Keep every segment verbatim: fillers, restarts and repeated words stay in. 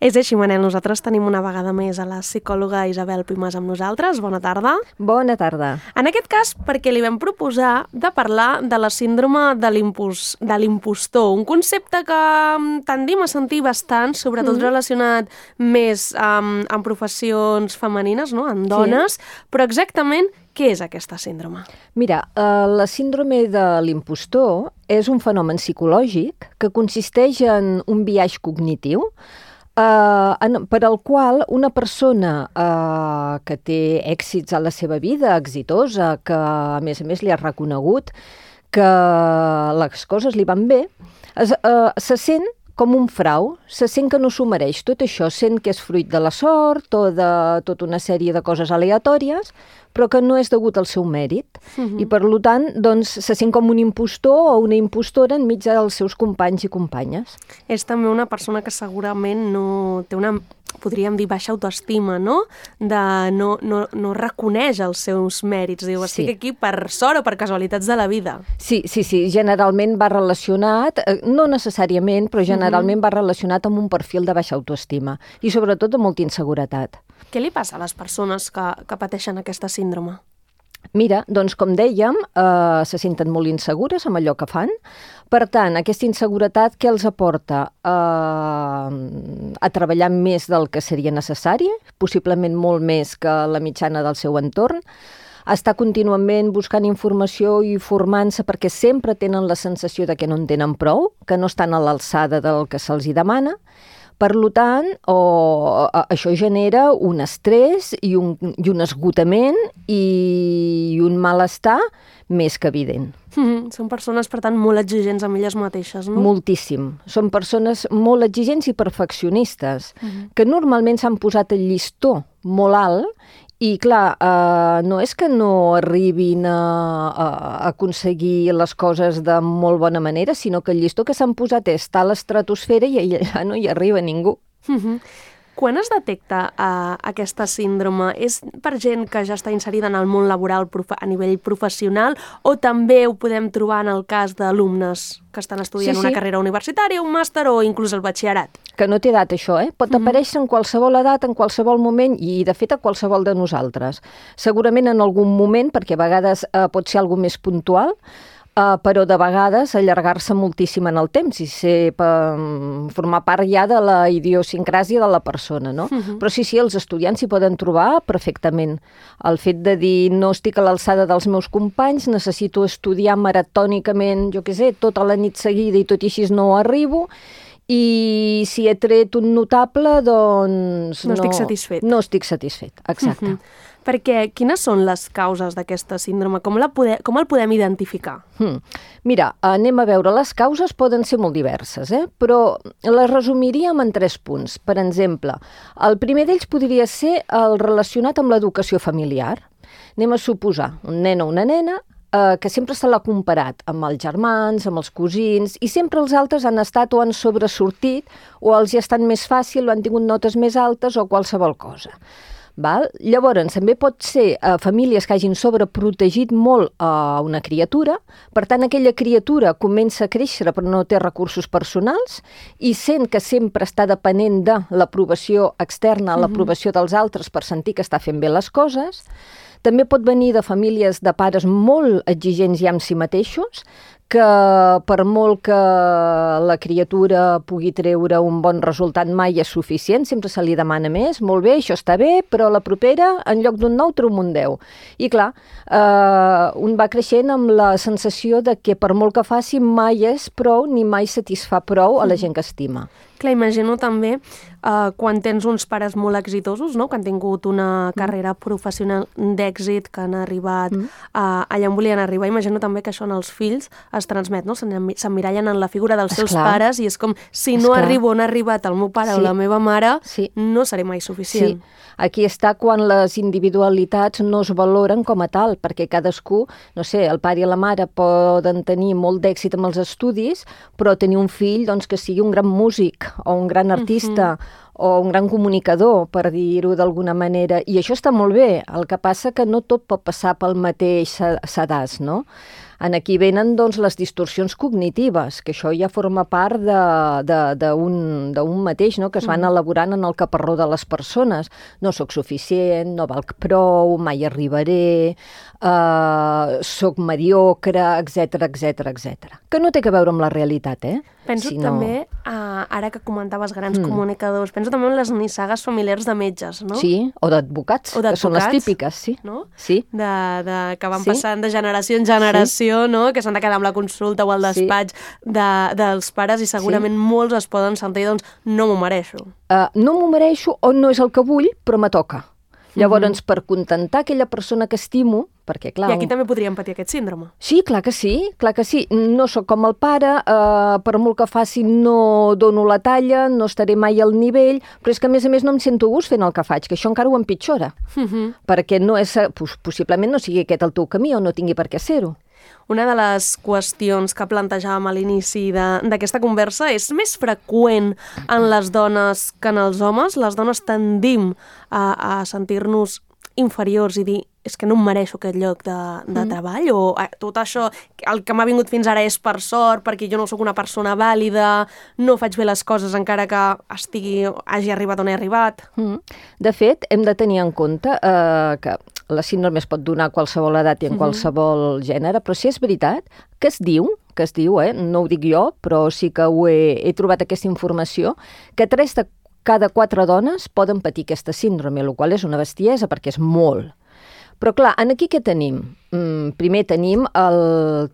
És així, Manel, nosaltres tenim una vegada més a la psicòloga Isabel Pimàs amb nosaltres. Bona tarda. Bona tarda. En aquest cas, perquè li vam proposar de parlar de la síndrome de l'impos- de l'impostor, un concepte que tendim a sentir bastant, sobretot mm. relacionat més amb, amb professions femenines, no? En dones, sí. Però exactament què és aquesta síndrome? Mira, eh, la síndrome de l'impostor és un fenomen psicològic que consisteix en un biaix cognitiu Uh, en, per al qual una persona uh, que té èxits a la seva vida, exitosa, que a més a més li ha reconegut que les coses li van bé, es, uh, se sent com un frau, se sent que no s'ho mereix. Tot això sent que és fruit de la sort o de tota una sèrie de coses aleatòries, però que no és degut al seu mèrit. Uh-huh. I, per tant, doncs, se sent com un impostor o una impostora enmig dels seus companys i companyes. És també una persona que segurament no té una, podríem dir, baixa autoestima, no? De no, no, no reconeix els seus mèrits. Diu, estic sí. aquí per sort o per casualitats de la vida. Sí, sí, sí. Generalment va relacionat, no necessàriament, però generalment uh-huh. va relacionat amb un perfil de baixa autoestima i sobretot de molta inseguretat. Què li passa a les persones que, que pateixen aquesta síndrome? Mira, doncs com dèiem, eh, se senten molt insegures amb allò que fan. Per tant, aquesta inseguretat què els aporta? Eh, a treballar més del que seria necessari, possiblement molt més que la mitjana del seu entorn, està contínuament buscant informació i formant-se perquè sempre tenen la sensació de que no en tenen prou, que no estan a l'alçada del que se'ls hi demana. Per tant, o, això genera un estrès i un, i un esgotament i un malestar més que evident. Mm-hmm. Són persones, per tant, molt exigents amb elles mateixes, no? Moltíssim. Són persones molt exigents i perfeccionistes, mm-hmm. que normalment s'han posat el llistó molt alt. I, clar, eh, no és que no arribin a, a aconseguir les coses de molt bona manera, sinó que el llistó que s'han posat és a l'estratosfera i allà no hi arriba ningú. Mm-hmm. Quan es detecta uh, aquesta síndrome? És per gent que ja està inserida en el món laboral profe- a nivell professional o també ho podem trobar en el cas d'alumnes que estan estudiant sí, sí. una carrera universitària, un màster o inclús el batxillerat? Que no té edat, això, eh? Pot mm-hmm. aparèixer en qualsevol edat, en qualsevol moment i, de fet, a qualsevol de nosaltres. Segurament en algun moment, perquè a vegades eh, pot ser alguna més puntual, Uh, però de vegades allargar-se moltíssim en el temps i ser, um, formar part ja de la idiosincràsia de la persona, no? Uh-huh. Però sí, sí, els estudiants s'hi poden trobar perfectament. El fet de dir no estic a l'alçada dels meus companys, necessito estudiar maratònicament, jo què sé, tota la nit seguida i tot i així no arribo, i si he tret un notable, doncs... No, no estic satisfet. No estic satisfet, exacte. Uh-huh. Perquè quines són les causes d'aquesta síndrome? Com, la pode- com el podem identificar? Hmm. Mira, anem a veure, les causes poden ser molt diverses, eh? Però les resumiríem en tres punts. Per exemple, el primer d'ells podria ser el relacionat amb l'educació familiar. Anem a suposar un nen o una nena eh, que sempre se l'ha comparat amb els germans, amb els cosins, i sempre els altres han estat o han sobresortit o els hi ha estat més fàcil o han tingut notes més altes o qualsevol cosa. Val? Llavors, també pot ser eh, famílies que hagin sobreprotegit molt a eh, una criatura, per tant, aquella criatura comença a créixer però no té recursos personals i sent que sempre està depenent de l'aprovació externa, mm-hmm. l'aprovació dels altres per sentir que està fent bé les coses. També pot venir de famílies de pares molt exigents ja amb si mateixos, que per molt que la criatura pugui treure un bon resultat mai és suficient, sempre se li demana més, molt bé, això està bé, però la propera, en lloc d'un nou, treu un deu. I clar, eh, un va creixent amb la sensació de que per molt que faci mai és prou ni mai satisfà prou a la gent que estima. Clar, imagino també uh, quan tens uns pares molt exitosos, no? Que han tingut una carrera professional d'èxit, que han arribat mm. uh, allà on volien arribar. Imagino també que això en els fills es transmet, no? S'emmirallen en la figura dels seus Esclar. pares i és com, si no Esclar. arribo on ha arribat el meu pare sí. o la meva mare, sí. no seré mai suficient. Sí. Aquí està quan les individualitats no es valoren com a tal, perquè cadascú, no sé, el pare i la mare poden tenir molt d'èxit amb els estudis, però tenir un fill doncs, que sigui un gran músic o un gran artista, uh-huh. o un gran comunicador, per dir-ho d'alguna manera, i això està molt bé, el que passa que no tot pot passar pel mateix sedàs, no? En aquí venen doncs, les distorsions cognitives, que això ja forma part d'un mateix, no? Que es van elaborant en el caparró de les persones. No sóc suficient, no valc prou, mai arribaré, eh, sóc mediocre, etcètera, etcètera, etcètera. Que no té a veure amb la realitat, eh? Penso si no... també, uh, ara que comentaves grans mm. comunicadors, penso també en les nissagues familiars de metges, no? Sí, o d'advocats, que són les típiques, sí. No? Sí. De, de, que van sí. passant de generació en generació, sí. no? Que s'han de quedar amb la consulta o el despatx sí. de, dels pares i segurament sí. molts es poden sentir, doncs, no m'ho mereixo. Uh, no m'ho mereixo o no és el que vull, però me toca. Llavors, mm-hmm. per contentar aquella persona que estimo, perquè, clar... I aquí també podríem patir aquest síndrome. Sí, clar que sí, clar que sí. No sóc com el pare, eh, per molt que faci no dono la talla, no estaré mai al nivell, però és que, a més a més, no em sento gust fent el que faig, que això encara ho empitjora. Mm-hmm. Perquè no és, possiblement no sigui aquest el teu camí o no tingui per què ser-ho. Una de les qüestions que plantejàvem a l'inici d'aquesta conversa és més freqüent en les dones que en els homes. Les dones tendim a, a sentir-nos inferiors i dir és que no em mereixo aquest lloc de, de mm. treball o eh, tot això, el que m'ha vingut fins ara és per sort, perquè jo no sóc una persona vàlida, no faig bé les coses encara que estigui, hagi arribat on he arribat. Mm. De fet, hem de tenir en compte eh, que la síndrome es pot donar a qualsevol edat i en mm-hmm. qualsevol gènere, però sí és veritat que es diu, que es diu, eh, no ho dic jo, però sí que ho he, he trobat aquesta informació, que tres de cada quatre dones poden patir aquesta síndrome, el qual és una bestiesa perquè és molt. Però clar, aquí què tenim? Mm, primer tenim el,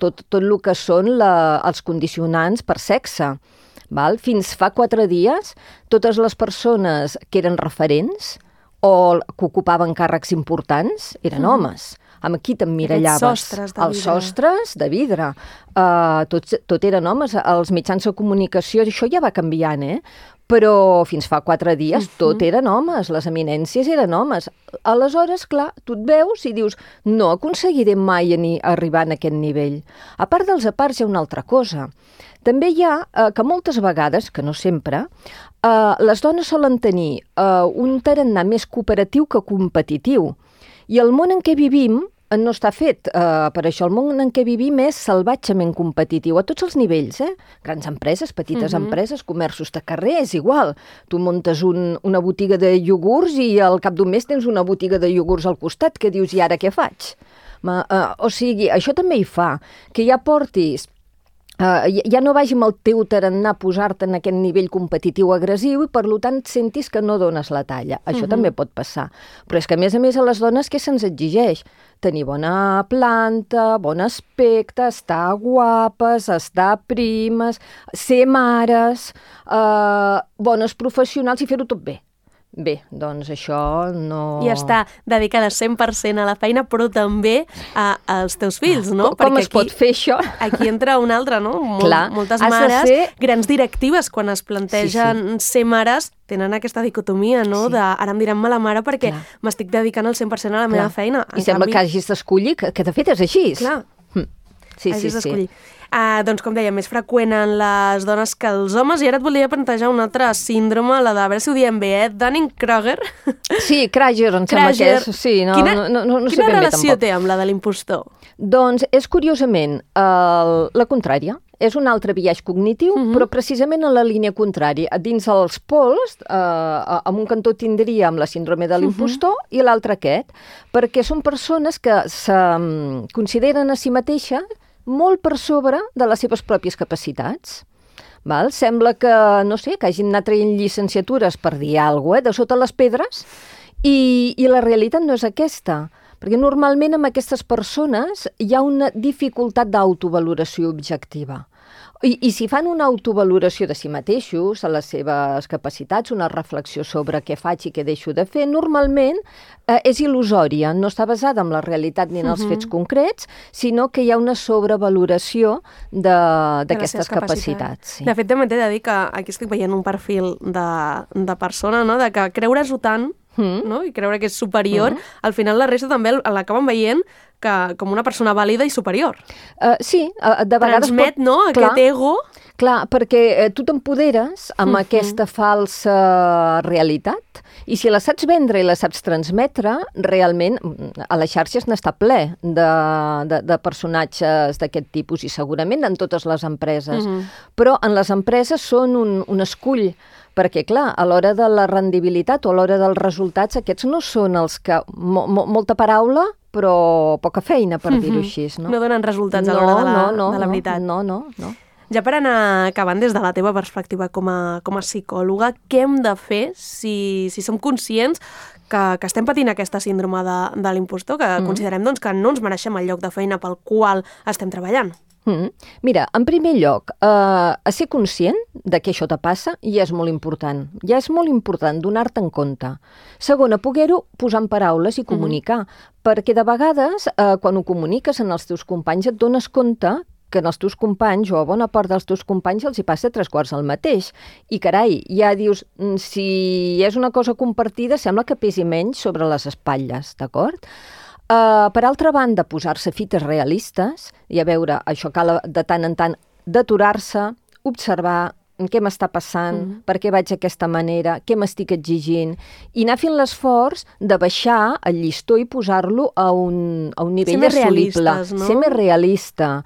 tot, tot el que són la, els condicionants per sexe. Val? Fins fa quatre dies, totes les persones que eren referents o que ocupaven càrrecs importants eren mm. homes. Amb qui t'emmirallaves? Els sostres de vidre. Els sostres de vidre. Uh, tot, tot eren homes. Els mitjans de comunicació, això ja va canviant, eh? Però fins fa quatre dies uh-huh. tot eren homes, les eminències eren homes. Aleshores, clar, tu et veus i dius no aconseguiré mai ni arribar a aquest nivell. A part dels aparts hi ha una altra cosa. També hi ha eh, que moltes vegades, que no sempre, eh, les dones solen tenir eh, un tarannà més cooperatiu que competitiu. I el món en què vivim no està fet eh, per això. El món en què vivim és salvatgement competitiu a tots els nivells, eh? Grans empreses, petites uh-huh. empreses, comerços de carrer, és igual. Tu muntes un, una botiga de iogurts i al cap d'un mes tens una botiga de iogurts al costat que dius, i ara què faig? Ma, eh, o sigui, això també hi fa, que ja portis Uh, ja no vagi amb el teu tarannà a posar-te en aquest nivell competitiu agressiu i per tant sentis que no dones la talla. Això uh-huh. també pot passar. Però és que a més a més a les dones què se'ns exigeix? Tenir bona planta, bon aspecte, estar guapes, estar primes, ser mares, uh, bones professionals i fer-ho tot bé. Bé, doncs això no... I està dedicada cent per cent a la feina, però també a, als teus fills, no? Com, com es aquí, pot fer això? Aquí entra una altra, no? Molt, Clar, moltes mares, ser... grans directives, quan es plantegen sí, sí. ser mares, tenen aquesta dicotomia, no? Sí. De ara em diran mala mare perquè m'estic dedicant al cent per cent a la Clar. meva feina. I en sembla canvi... que hagis d'escollir, que, que de fet és així. Clar. Hm. Sí, hagis sí, d'escollir. Sí. Uh, doncs, com deia, més freqüent en les dones que els homes, i ara et volia plantejar una altra síndrome, la de, a veure si ho diem bé, eh? Dunning-Kruger. Sí, Kruger, em sembla que és. Sí, no, quina no, no, no, no quina sé ben bé relació tampoc. té amb la de l'impostor? Doncs és curiosament el, la contrària. És un altre biaix cognitiu, uh-huh. però precisament en la línia contrària. Dins els pols, eh, amb un cantó tindríem la síndrome de l'impostor uh-huh. i l'altre aquest, perquè són persones que se consideren a si mateixes molt per sobre de les seves pròpies capacitats. Val? Sembla que, no sé, que hagin anat traient llicenciatures per dir alguna cosa, eh, de sota les pedres, i, i la realitat no és aquesta. Perquè normalment amb aquestes persones hi ha una dificultat d'autovaloració objectiva. I, I si fan una autovaloració de si mateixos, a les seves capacitats, una reflexió sobre què faig i què deixo de fer, normalment eh, és il·lusòria, no està basada en la realitat ni en els uh-huh. fets concrets, sinó que hi ha una sobrevaloració d'aquestes capacitats. Sí. De fet, també t'he de dir que aquí estic veient un perfil de, de persona, no? De que creure-s'ho tant, Mm. no? I creure que és superior, mm. al final la resta també l'acaben veient que, com una persona vàlida i superior. Uh, sí, uh, de vegades... Transmet, pot... no?, clar, aquest ego... Clar, perquè eh, tu t'empoderes amb uh-huh. aquesta falsa realitat i si la saps vendre i la saps transmetre, realment a les xarxes n'està ple de, de, de personatges d'aquest tipus i segurament en totes les empreses. Uh-huh. Però en les empreses són un, un escull, perquè, clar, a l'hora de la rendibilitat o a l'hora dels resultats, aquests no són els que... Mo, mo, molta paraula, però poca feina, per uh-huh. dir-ho així. No, no donen resultats no, a l'hora de, la, no, no, de la veritat. No, no, no. Ja per anar acabant, des de la teva perspectiva com a, com a psicòloga, què hem de fer si, si som conscients que, que estem patint aquesta síndrome de, de l'impostor, que mm. considerem doncs, que no ens mereixem el lloc de feina pel qual estem treballant? Mm. Mira, en primer lloc, eh, a ser conscient de que això te passa ja és molt important. Ja és molt important donar-te en compte. Segon, a poder-ho posar en paraules i comunicar, mm. perquè de vegades, eh, quan ho comuniques en els teus companys, et dones compte que en els teus companys, o a bona part dels teus companys, els hi passa tres quarts el mateix. I, carai, ja dius, si és una cosa compartida, sembla que pesi menys sobre les espatlles, d'acord? Uh, per altra banda, posar-se fites realistes, i a veure, això cal de tant en tant d'aturar-se, observar què m'està passant, mm-hmm. per què vaig d'aquesta manera, què m'estic exigint, i anar fent l'esforç de baixar el llistó i posar-lo a un, a un nivell assolible. No? Ser més realista.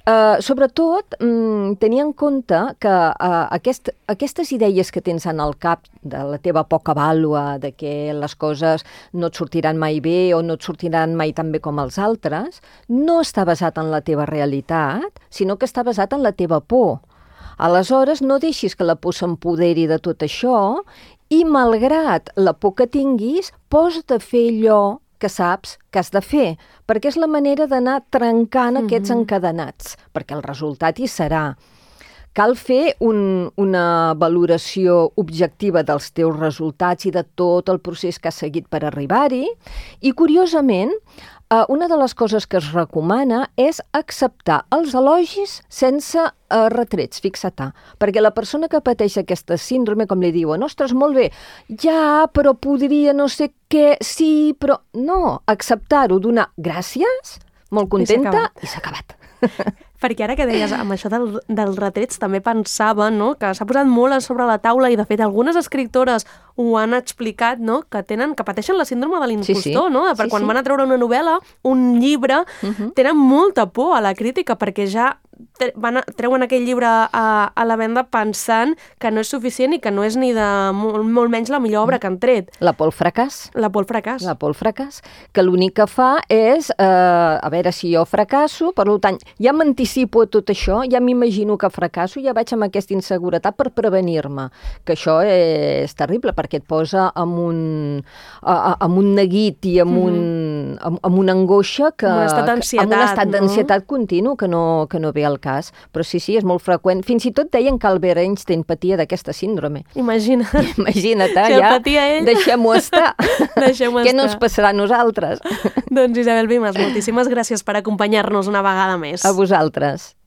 Uh, sobretot, um, tenir en compte que uh, aquest, aquestes idees que tens en el cap de la teva poca vàlua, de que les coses no et sortiran mai bé o no et sortiran mai tan bé com els altres, no està basat en la teva realitat, sinó que està basat en la teva por. Aleshores, no deixis que la por s'empoderi de tot això i, malgrat la por que tinguis, posa't a fer allò que saps que has de fer, perquè és la manera d'anar trencant mm-hmm. aquests encadenats, perquè el resultat hi serà. Cal fer un, una valoració objectiva dels teus resultats i de tot el procés que has seguit per arribar-hi, i, curiosament, Uh, una de les coses que es recomana és acceptar els elogis sense uh, retrets, fixa-te. Perquè la persona que pateix aquesta síndrome, com li diuen, ostres, molt bé, ja, però podria no sé què, sí, però... No, acceptar-ho, donar gràcies, molt contenta, i s'ha acabat. Perquè ara que deies amb això del, dels retrets també pensava, no?, que s'ha posat molt a sobre la taula i de fet algunes escriptores ho han explicat, no?, que tenen que pateixen la síndrome de l'impostor, sí, sí. no? Per sí, quan sí. van a treure una novel·la, un llibre, uh-huh. tenen molta por a la crítica perquè ja van a, treuen aquell llibre a, a la venda pensant que no és suficient i que no és ni de molt, molt menys la millor obra que han tret. La por al fracàs. La por al fracàs. La por al fracàs, que l'únic que fa és, eh, a veure si jo fracasso, per tant, ja m'anticipo a tot això, ja m'imagino que fracasso, ja vaig amb aquesta inseguretat per prevenir-me, que això és terrible, perquè et posa amb un, amb un neguit i amb, mm-hmm. un, amb, amb una angoixa que... Amb un estat d'ansietat, amb un estat d'ansietat no? continu que no, que no ve al cas. Però sí, sí, és molt freqüent. Fins i tot deien que Albert Einstein patia d'aquesta síndrome. Imagina't. Imagina't, si ja. Ell... Deixem-ho estar. Deixem-ho Què no ens passarà a nosaltres? Doncs Isabel Vimes, moltíssimes gràcies per acompanyar-nos una vegada més. A vosaltres.